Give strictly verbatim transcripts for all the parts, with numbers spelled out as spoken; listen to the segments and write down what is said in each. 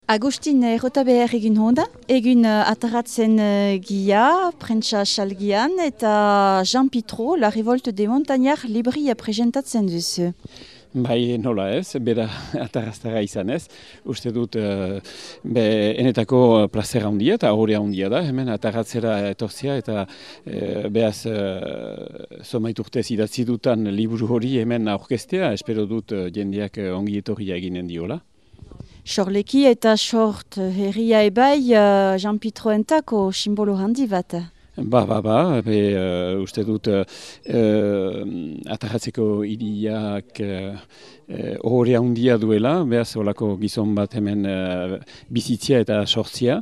Agustin errota behar egin honda, egin uh, ataratzen uh, gia, prentsa salgian, eta Jean Pitro, La Révolte des Montagnards, libria presentatzen duzu. Bai, nola ez, bera atarraztara izan ez. Uste dut, uh, be, enetako plazera handia eta horrea handia da, hemen atarratzera etorzia eta uh, behaz uh, zomait urtez idatzi dutan liburu hori hemen aurkeztea, espero dut uh, jendeak uh, ongi etorria eginen diola. Sorleki eta sort herria ebai uh, Jean Pitro entako simbolo handi bat. Ba, ba, ba, be, uh, uste dut uh, uh, atarratzeko hiriak uh, horrea handia duela, behaz olako gizon bat hemen uh, bizitzia eta sortzia.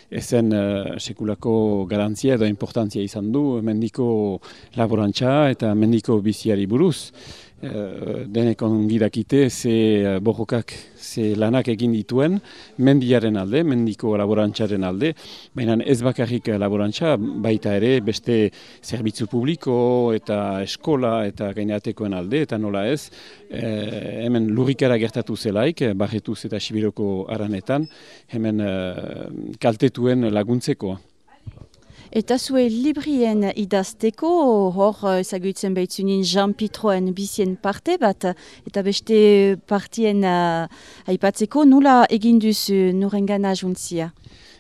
Ezen uh, sekulako garantzia edo importantzia izan du, mendiko laborantza eta mendiko biziari buruz. Uh, denek ongi dakite ze uh, borrokak, ze lanak egin dituen mendiaren alde, mendiko laborantzaren alde, baina ez bakarrik laborantza, baita ere beste zerbitzu publiko eta eskola eta gainatekoen alde, eta nola ez, eh, hemen lurrikara gertatu zelaik, Barretuz eta Sibiroko aranetan, hemen eh, kaltetuen laguntzeko. Eta zue librien idazteko, hor ezagutzen behitzunin Jean Pitroen bizien parte bat, eta beste partien uh, aipatzeko, nola egin duzu nurengana juntzia?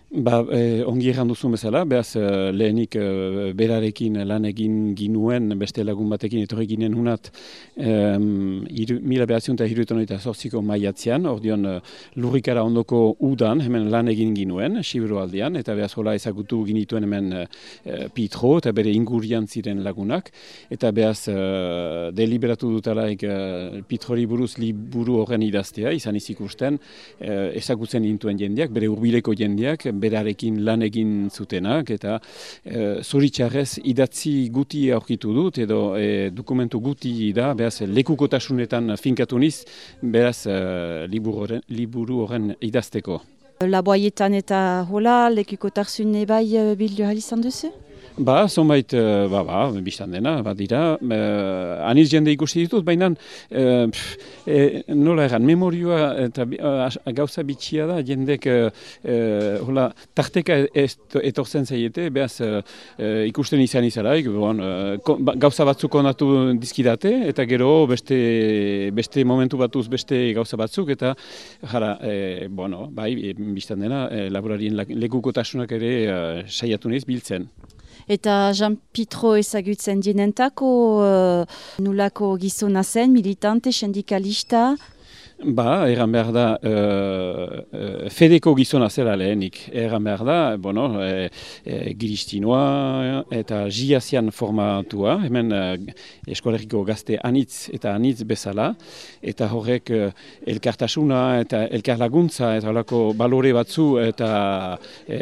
Ba, eh, ongi erran duzun bezala, behaz eh, lehenik eh, berarekin lan egin ginuen, beste lagun batekin etorri ginen hunat eh, mila behatziun eta hiruetan eta zortziko maiatzean, ordion eh, lurrikara ondoko udan, hemen lan egin ginuen, Sibiro aldean, eta behaz hola ezagutu ginituen hemen eh, Pitro eta bere ingurian ziren lagunak, eta behaz eh, deliberatu dutalaik eh, Pitrori buruz liburu horren idaztea, izan izikusten, eh, ezagutzen intuen jendeak, bere hurbileko jendeak, berarekin lan egin zutenak, eta e, zoritxarrez idatzi guti aurkitu dut, edo e, dokumentu guti da, beraz lekukotasunetan finkatu niz, beraz e, liburu, horren, liburu horren idazteko. Laboaietan eta hola, lekukotarsune bai bildu izan duzu? Ba, zonbait, ba, ba, biztan dena, bat dira, eh, aniz jende ikusi ditut, baina eh, eh, nola egan, memorioa eta uh, gauza bitxia da, jendek eh, hola, tarteka etortzen zaiete, behaz eh, ikusten izan izaraik, bon, eh, gauza batzuk onatu dizkidate, eta gero beste, beste momentu batuz beste gauza batzuk, eta jara, eh, bueno, bai, biztan dena, eh, laborarien lekukotasunak ere eh, saiatu nahiz biltzen. Eta Jean Pitro ezagutzen dienentako uh, nulako gizona zen, militante, sindikalista? Ba, erran behar da, uh, uh, fedeko gizona zela lehenik. Erran behar da, bueno, e, e, giristinoa eta jiazian formatua, hemen uh, eskolegiko gazte anitz eta anitz bezala, eta horrek uh, elkartasuna eta elkar laguntza eta horreko balore batzu eta e,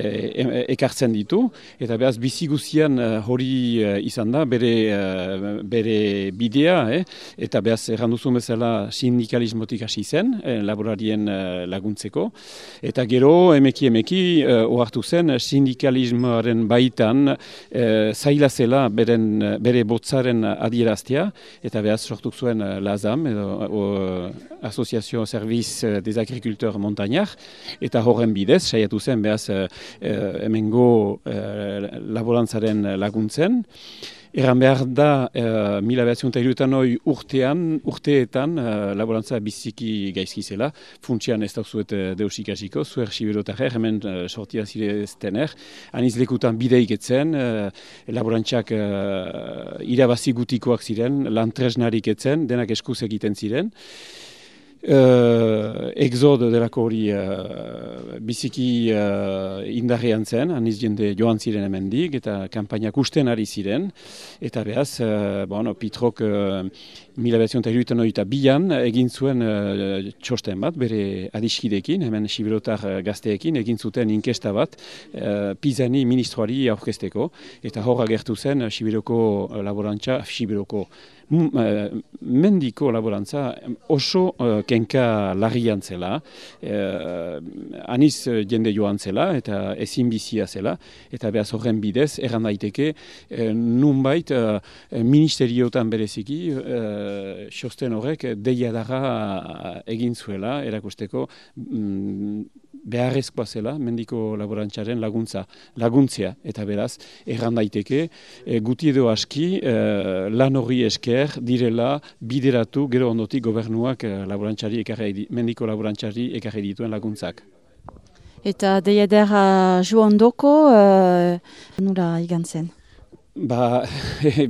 ekartzen ditu, eta behaz bizi guzian uh, hori uh, izan da, bere, uh, bere bidea, eh? Eta behaz erran duzun bezala sindikalismotik hasi zen, eh, laborarien eh, laguntzeko. Eta gero, emeki emeki, eh, ohartu zen, sindikalismoaren baitan eh, zaila zela beren, bere botzaren adieraztea, eta behaz sortu zuen eh, Lazam, edo o, Asoziazio Serviz des Agriculteurs Montagnards, eta horren bidez, saiatu zen behaz eh, hemengo eh, laborantzaren laguntzen. Erran behar da, uh, mila behatziun eta hiruetan hori urtean, urteetan, uh, laborantza biziki gaizki zela. Funtsian ez da zuet uh, deus ikasiko, zuer siberotarrer, hemen uh, sortia zireztener. Aniz lekutan bideik etzen, uh, laborantzak uh, irabazi gutikoak ziren, lan tresnarik etzen, denak eskuz egiten ziren. Uh, exod delako hori uh, biziki uh, indarrean zen, aniz jende joan ziren hemendik, eta kanpainak usten ari ziren, eta behaz, uh, bueno, Pitrok uh, mila behatziun eta hiruetan hori eta bian egin zuen uh, txosten bat, bere adiskidekin, hemen sibirotar gazteekin, egin zuten inkesta bat, uh, Pizani ministroari aurkezteko, eta hor agertu zen Sibiroko laborantza, Sibiroko mendiko laborantza oso uh, kenka larrian zela, uh, aniz jende joan zela eta ezin bizia zela, eta behaz horren bidez, erran daiteke, uh, nunbait uh, ministeriotan bereziki, uh, xosten horrek deiadarra egin zuela, erakusteko, mm, beharrezkoa zela mendiko laborantzaren laguntza, laguntzea, eta beraz, erran daiteke, e, guti edo aski e, lan horri esker direla bideratu gero ondotik gobernuak e, laborantzari ekarri, mendiko laborantzari ekarri dituen laguntzak. Eta deiadera joandoko, uh, nula igan zen? Ba,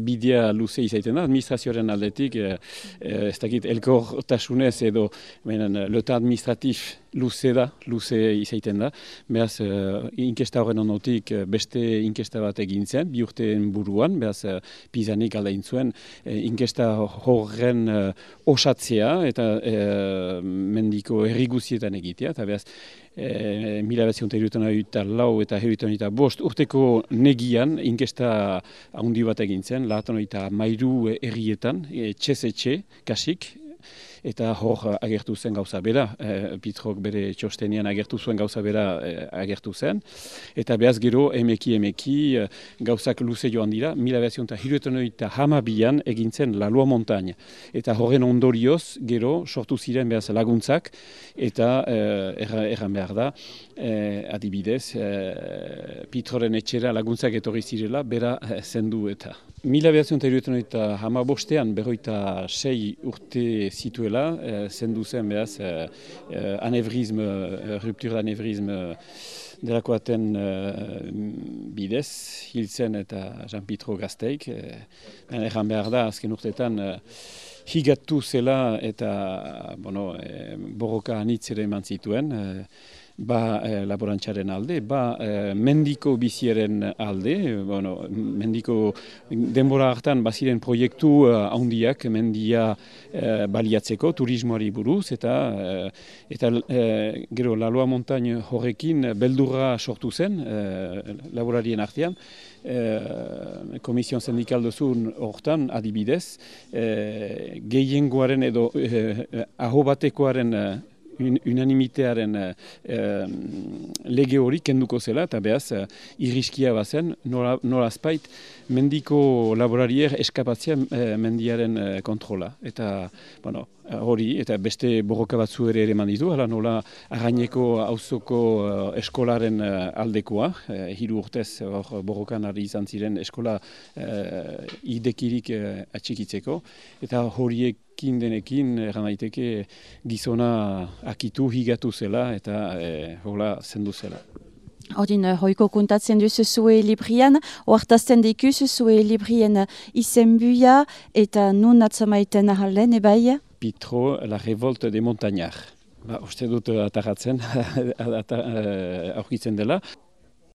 bidea luze izaiten da, administrazioaren aldetik, eh, eh, ez dakit elkortasunez edo menen, lota administratif luze da, luze izaiten da. Beraz, eh, inkesta horren ondotik beste inkesta bat egin zen, bi urteen buruan, beraz, eh, pizanik aldain zuen, eh, inkesta horren eh, osatzea eta eh, mendiko herri guztietan egitea, eta beraz, E, mila bezion eta lau eta heruetan eta bost urteko negian inkesta handi bat egin zen, laatan eta mairu errietan, etxe-etxe, kasik, eta hor agertu zen gauza bera, e, Pitrok bere txostenian agertu zuen gauza bera e, agertu zen, eta behaz gero emeki emeki e, gauzak luze joan dira, mila bezion eta heruetan eta hamabian egin zen La Lua Montagne, eta horren ondorioz gero sortu ziren behaz laguntzak, eta e, erran behar da, e, adibidez, e, Pitroren etxera laguntzak etorri zirela, bera e, zendu eta. Mila behatzen eta hamabostean berroita sei urte zituela, e, zendu zen behaz, e, e, anevrisme, e, ruptur d'anevrisme delakoaten e, bidez, hil zen eta Jean Pitro gazteik. E, erran behar da, azken urteetan, e, higatu zela eta bueno, e, borroka anitz ere eman zituen, e, ba e, laborantzaren alde, ba e, mendiko biziaren alde, bueno, mendiko denbora hartan baziren proiektu handiak mendia e, baliatzeko, turismoari buruz, eta, e, eta e, gero La Lua Montagne horrekin beldurra sortu zen e, laborarien artean, E, Komision Sindikal duzun hortan adibidez, e, gehiengoaren edo e, aho batekoaren e, un, unanimitearen e, lege hori kenduko zela, eta behaz e, irriskia bazen, nola, nolazpait mendiko laborarier eskapatzea e, mendiaren e, kontrola. Eta, bueno, hori, eta beste borroka batzu ere ere manditu, hala nola Arraineko auzoko uh, eskolaren uh, aldekoa, uh, hiru urtez hor borrokan ari izan ziren eskola uh, idekirik uh, atxikitzeko, eta horiekin denekin erran daiteke gizona akitu higatu zela eta uh, hola zendu zela. Ordin, hoiko kontatzen duzu zue librian, oartazten dikuzu zue librien izenbuia eta nun atzamaiten ahalen, ebai? Pitro, La Révolte des Montagnards. Ba, uste dut atarratzen, aurkitzen dela.